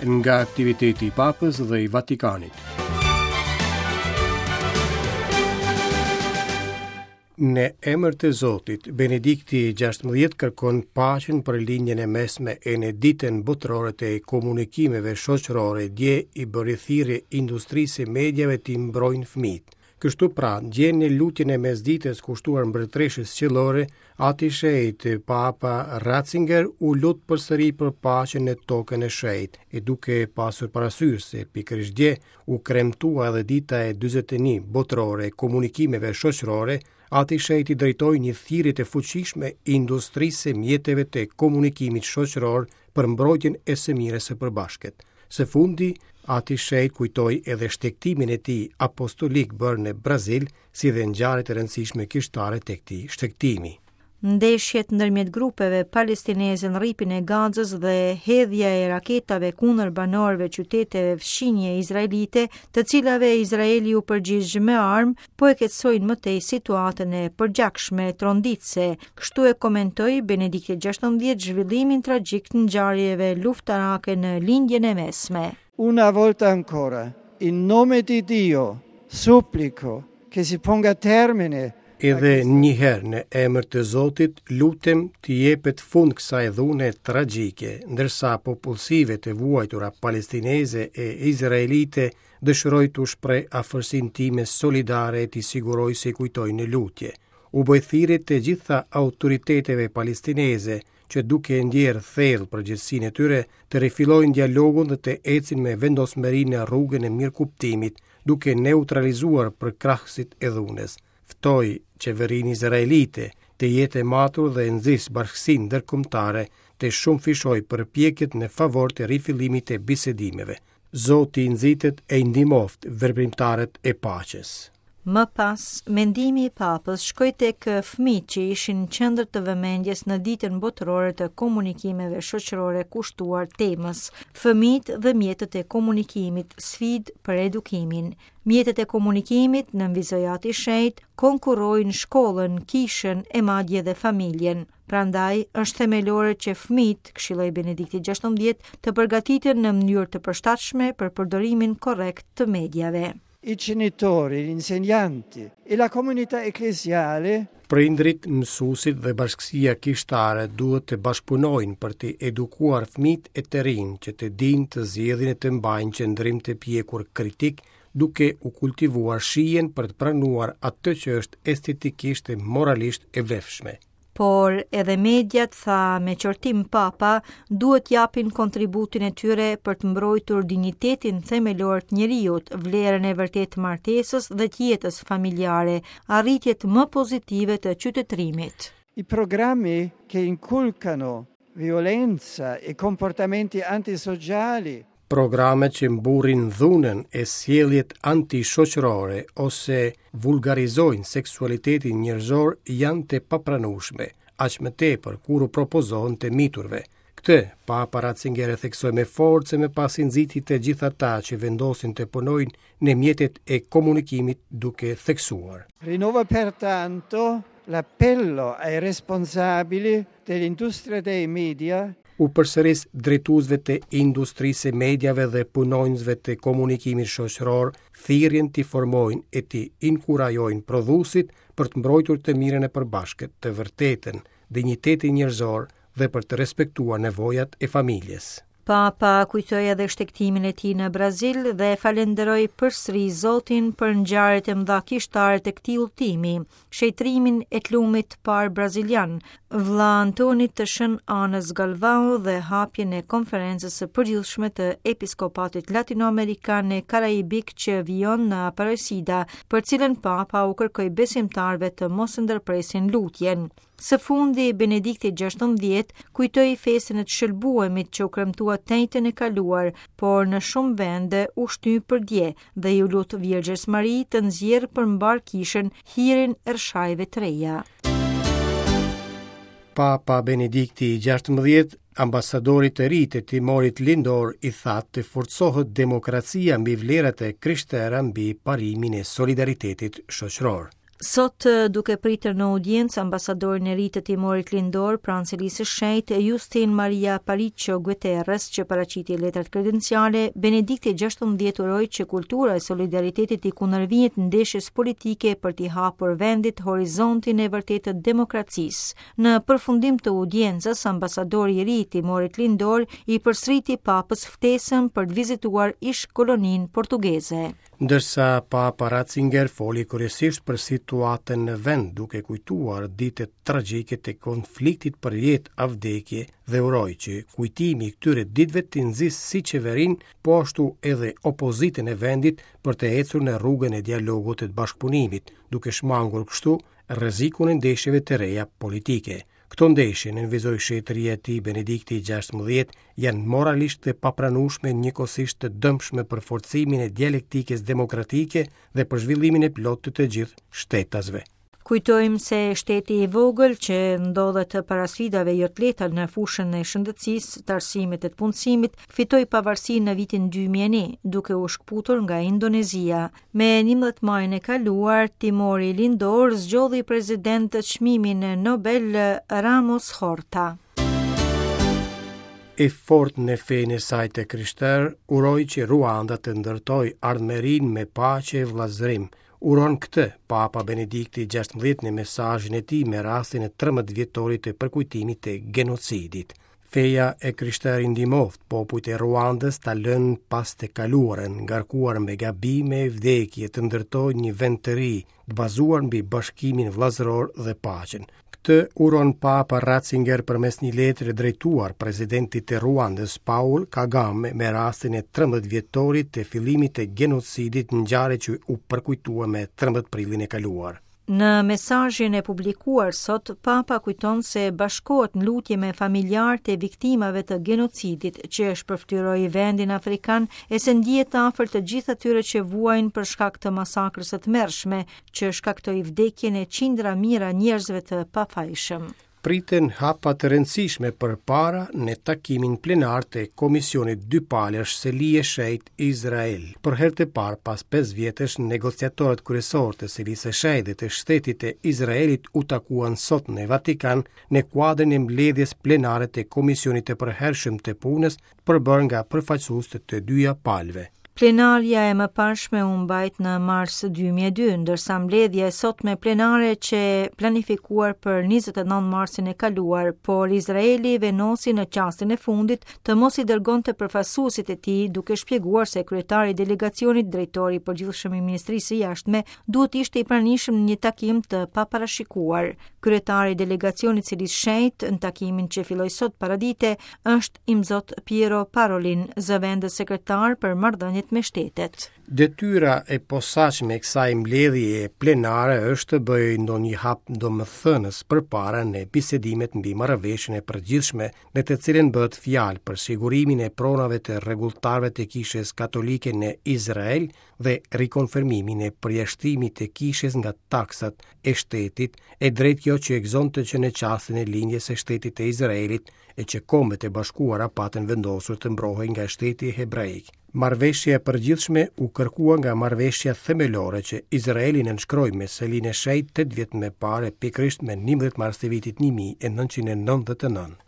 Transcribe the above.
Nga aktiviteti i Papës dhe i Vatikanit. Në emër të Zotit, Benedikti XVI kërkon paqen për Lindjen e Mesme e në ditën botërore të komunikimeve shoqërore dje i bëri thirrje industrisë së mediave t'i mbrojnë fëmijët. Kështu pra, dje në lutjen e mesditës kushtuar mbretëreshës qiellore, Ati i Shenjtë, Papa Ratzinger u lut përsëri për paqen në tokën e shenjtë, e duke pasur parasysh se pikërisht dje u kremtua edhe dita e 41 botërore e komunikimeve shoqërore, Ati i Shenjtë i drejtoi një thirrje të fuqishme industrisë së mjeteve të komunikimit shoqëror për mbrojtjen e së mirës së përbashkët. Së fundi, Ati i Shenjtë kujtoi edhe shtegtimin e tij apostolik bërë në Brazil, si dhe ngjarjet e rëndësishme kishtare të këtij shtegtimi. Ndeshjet ndërmjet grupeve palestineze në Rripin e Gazës dhe hedhja e raketave kundër banorëve qyteteve fqinje izraelite, të cilave Izraeli u përgjigj me armë, po e keqësojnë më tej situatën e përgjakshme tronditëse. Kështu e komentoi Benedikti XVI zhvillimin tragjik të ngjarjeve luftarake në Lindjen e Mesme. Una volta ancora, in nome di Dio, supplico che si ponga termine Edhe një herë në emër të Zotit, lutem t'i jepet fund kësaj dhune tragjike, ndërsa popullsive të vuajtura palestineze e izraelite dëshiroj t'u shpreh afërsinë time solidare e t'i siguroj se i kujtoj në lutje. U bëj thirrje të gjitha autoriteteve palestineze që duke e ndjerë thellë përgjegjësinë e tyre, të rifillojnë dialogun dhe të ecin me vendosmëri në rrugën e mirëkuptimit, duke neutralizuar përkrahësit e dhunës. Ftoj qeverinë izraelite të jetë e matur dhe nxis bashkësinë ndërkombëtare të shumëfishojë përpjekjet në favor të rifillimit të bisedimeve. Zoti i nxittë e i ndihmoftë veprimtarët e paqes. Më pas, mendimi i Papës shkoi tek fëmijët që ishin në qendër të vëmendjes në Ditën Botërore të Komunikimeve Shoqërore kushtuar temës Fëmijët dhe mjetet e komunikimit, sfidë për edukimin. Mjetet e komunikimit, nënvizoi Ati i Shenjtë, konkurrojnë shkollën, kishën e madje dhe familjen. Prandaj, është themelore që fëmijët, këshilloi Benedikti XVI, të përgatiten në mënyrë të përshtatshme për përdorimin korrekt të mediave. I genitori, gli insegnanti e la comunità ecclesiale Prindërit, mësuesit dhe bashkësia kishtare duhet të bashkëpunojnë për të edukuar fëmijët e të rinj që të dinë të zgjedhin e të mbajnë qëndrim të pjekur kritik, duke u kultivuar shijen për të pranuar atë që është estetikisht e moralisht e vlefshme. Por edhe mediat, tha me qortim Papa, duhet të japin kontributin e tyre për të mbrojtur dinjitetin themelor të njeriut, vlerën e vërtetë të martesës dhe të jetës familjare, arritjet më pozitive të qytetërimit. I programmi che inculcano violenza e comportamenti antisociali. Programet që mburrin dhunën e sjelljet antishoqërore ose vulgarizojnë seksualitetin njerëzor janë të papranueshme, aq më tepër kur u propozohen të miturve. Këtë, Papa Ratzinger e theksoi me forcë e më pas i nxiti të gjithë ata që vendosin të punojnë në mjetet e komunikimit duke theksuar. Rinnovo pertanto l'appello ai responsabili dell'industria dei media U përsëris drejtuesve të industrisë së mediave dhe punonjësve të komunikimit shoqëror thirrjen t'i formojnë e t'i inkurajojnë prodhuesit për të mbrojtur të mirën e përbashkët, të vërtetën, dinjitetin njerëzor dhe për të respektuar nevojat e familjes. Papa kujtoi edhe shtegtimin e tij në Brazil dhe e falënderoi përsëri Zotin për ngjarjet e mëdha kishtare të këtij udhëtimi, shenjtërimin e të lumit të parë brazilian, Vëlla Antonit të Shën Anës Galvao dhe hapjen e Konferencës së Përgjithshme të Episkopatit Latinoamerikan e Karaibik që vijon në Aparecida, për cilën Papa u kërkoi besimtarëve të mos ndërpresin lutjen. Së fundi, Benedikti XVI kujtoi festën e të shëlbuemit që u kremtua të enjten e kaluar, por në shumë vende u shty për dje dhe iu lut Virgjës Mari të nxjerrë për mbarë kishën hirin e rrëshajëve të reja. Papa Benedikti XVI, ambasadorit të ri të Timorit Lindor i tha të forcohet demokracia mbi vlerat e krishtera mbi parimin e solidaritetit shoqëror. Sot, duke pritur në audiencë ambasadorin e ri të Timorit Lindor pranë Selisë së Shenjtë, Justin Maria Aparicio Guterres, që paraqiti letrat kredenciale, Benedikti XVI uroi që kultura e solidaritetit t'i kundërvihet ndeshjes politike për t'i hapur vendit horizontin e vërtetë të demokracisë. Në përfundim të audiencës, ambasadori i ri i Timorit Lindor i përsëriti Papës ftesën për të vizituar ish-koloninë portugeze. Ndërsa Papa Ratzinger foli kryesisht për situatën në vend, duke kujtuar ditët tragjike të konfliktit për jetë a vdekje dhe uroi që kujtimi i këtyre ditëve të nxisë si qeverinë, po ashtu edhe opozitën e vendit për të ecur në rrugën e dialogut e të bashkëpunimit, duke shmangur kështu rrezikun e ndeshjeve të reja politike. Këto ndeshje, nënvizoi shenjtëria e tij Benedikti XVI, janë moralisht të papranueshme njëkohësisht të dëmshme për forcimin e dialektikës demokratike dhe për zhvillimin e plotë të të gjithë shtetasve. Kujtojmë se shteti i vogël që ndodhet para sfidave jo të lehta në fushën e shëndetësisë, të arsimit e të punësimit, fitoi pavarësinë në vitin 2001, duke u shkëputur nga Indonezia. Me 11 majin e kaluar, Timori Lindor zgjodhi president çmimin Nobel Ramos Horta. E fortë në fenë e saj të krishterë, uroj që Ruanda të ndërtojë ardhmërinë me paqe e vëllazërim. Uron këtë Papa Benedikti XVI në mesazhin e tij me rastin e 13 vjetorit të përkujtimit të genocidit. Feja e krishterë i ndihmoftë popujt e Ruandës ta lënë pas të kaluarën, ngarkuar me gabime e vdekje të ndërtojnë një vend të ri, të bazuar mbi bashkimin vëllazëror dhe paqen. Këtë uron Papa Ratzinger përmes një letre drejtuar presidentit të Ruandës, Paul Kagame, me rastin e 13 vjetorit të fillimit të genocidit, ngjarje që u përkujtua me 13 prillin e kaluar. Në mesazhin e publikuar sot, Papa kujton se bashkohet në lutje me familjarët e viktimave të genocidit që shpërfytyroi vendin afrikan e se ndihet afër të gjithë atyre që vuajnë për shkak të masakrës së tmerrshme që shkaktoi vdekjen e qindra mijëra njerëzve të pafajshëm. Priten hapa të rëndësishme përpara në takimin plenar të Komisionit Dypalësh Seli e Shenjtë Izrael. Për herë të parë pas 5 vjetësh, negociatorët kryesorë të Selisë së Shenjtë dhe të shtetit të Izraelit u takuan sot në Vatikan në kuadrin e mbledhjes plenare të Komisionit të Përhershëm të Punës, përbërë nga përfaqësues të të dyja palëve. Plenarja e mëparshme u mbajt në mars 2002, ndërsa mbledhja e sotme plenare qe planifikuar për 29 marsin e kaluar, por Izraeli vendosi në çastin e fundit të mos i dërgonte përfaqësuesit e tij, duke shpjeguar se kryetari i delegacionit, drejtori i përgjithshëm i Ministrisë së Jashtme, duhet të ishte i pranishëm në një takim të paparashikuar. Kryetari i delegacionit Selisë Shenjtë në takimin që filloi sot paradite është Imzot Piero Parolin, zëvendës sekretar për marrëdhëniet me shtetet. Detyra e posaçme e kësaj mbledhjeje plenare është të bëjë ndonjë hap domethënës përpara në bisedimet mbi marrëveshjen e përgjithshme në të cilën bëhet fjalë për sigurimin e pronave të rregulltarëve të Kishës Katolike në Izrael dhe rikonfirmimin e përjashtimit të kishës nga taksat e shtetit, e drejtë kjo që e gëzonte që në çastin e lindjes së shtetit të Izraelit e që Kombet e Bashkuara patën vendosur të mbrohej nga shteti hebraik. Marrëveshja e përgjithshme u kërkua nga marrëveshja themelore që Izraeli nënshkroi me Selinë e Shenjtë 8 vjet më parë, pikërisht me 11 mars të vitit 1999.